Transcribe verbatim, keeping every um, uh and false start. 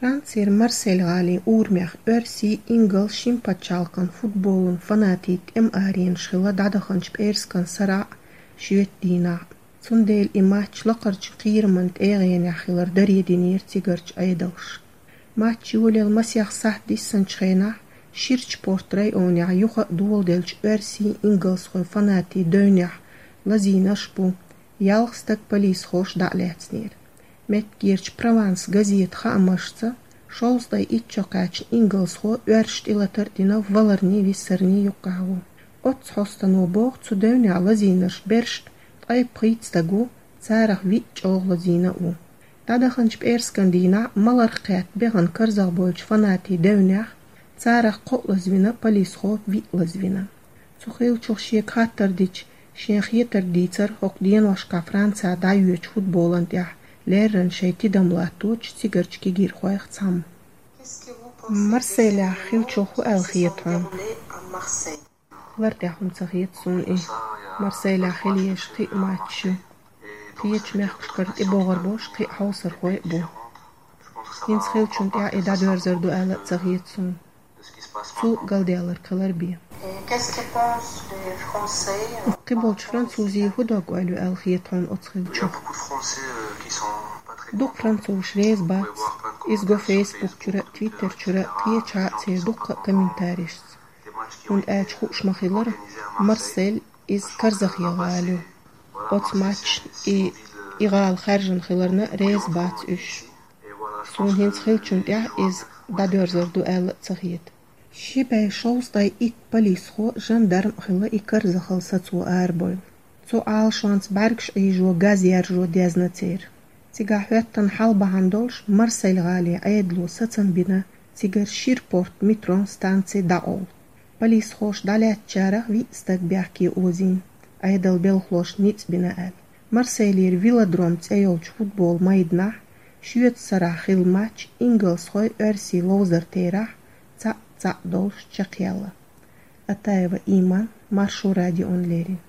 Францера Марсель гӀалин урамех оьрсийн, ингалс шин пачхьалкхан футболан фанатийн тӀема аренаш хилла дӀадаханчу пӀераскан сарахь а, шоьтан дийнахь а. Цундела и матч лакхарчу кхераман тӀегӀенехь хилар даре динера цигарчу Ӏедалша. Матч йолаелла масех сахьт диссинчу хенахь, Ширачу порт районехь юха а доладеллачу оьрсийн, ингалсхойн фанатийн девнехь лазийнарш а бу, ялх стаг полисхоша дӀа а лаьцнера. Меттигерчу Прованс газетан хаамашца, шовзткъе итт шо кхаьчна ингалсхо оьрсашна тӀелатар а дина, валарний, виссарний юккъехь ву. Оццу хьостано боху, цу девнехь лазийнарш берш а, ткъе пхийтта стаг ву, царах виъ чӀогӀа лазийна а ву. ДӀадаханчу пӀераскан дийнахь а маларх кхетта бехана карзахбойлучу фанатийн девнехь царах кхоъ лазвина, полисхо виъ лазвина. Цу хиллачух шега хаттар дича, шен хетарг дийцира хӀокху деношкахь Францехь дӀайоьдучу футболан тӀехь леррина шайн тидам латточу цигарчу кегийрхойх цхьамма. Марселехь хиллачух хӀун аьлла хета хьуна? Лар тӀехь хӀума ца хета суна и. Марселехь хила езаш кхин а матчаш ю. Кхечу мехкашкара тӀебогӀур болуш кхин а хьовсархой а бу. ХӀинца хиллачунна тӀехь и дӀадоьрзур ду аьлла а ца хета суна. Цул галдаьлларг хилар бен. Кхиболчу французийн хӀун дог-ойла ю аьлла хета хьуна оцу хиллачух? Дукха французаш реза бац. Иза го Facebook чуьра а, Twitter чуьра а, кхечахьа а церан дуккха а комментарийшца. ХӀунда аьлча хууш ма-хиллара, Марсель иза карзахе гӀала ю. Оцу матчана и, и гӀала хаьржина хиларна реза бац уьш. Суна хӀинца хиллачунна тӀехь иза дӀадоьрзур ду аьлла а ца хета. Ши бӀе шовзткъе итт полисхо, жандарм а хилла и карзахалла сацо арабевлла. Цу Ӏалашонца бӀаьргаш Ӏийжо, газ яржо дезна церан. Цигахь хӀоьттина хьал бахьана долуш Марсель гӀалин Ӏедало сацам бина цигара Ширпорт метрон станци дӀакъовла. Полисхоша дӀалаьцначарах виъ стаг бехке озийна, Ӏедалан белхалошна ницкъ бина аьлла. Марселера Велодром цӀе йолчу футбол майданахь шоьтан сарахь хилла матч ингалсхойн, оьрсийн ловзар терахь цхьаъ-цхьаъ долуш чекхъяьлла. Атаева Иман, Маршо радиона леррина.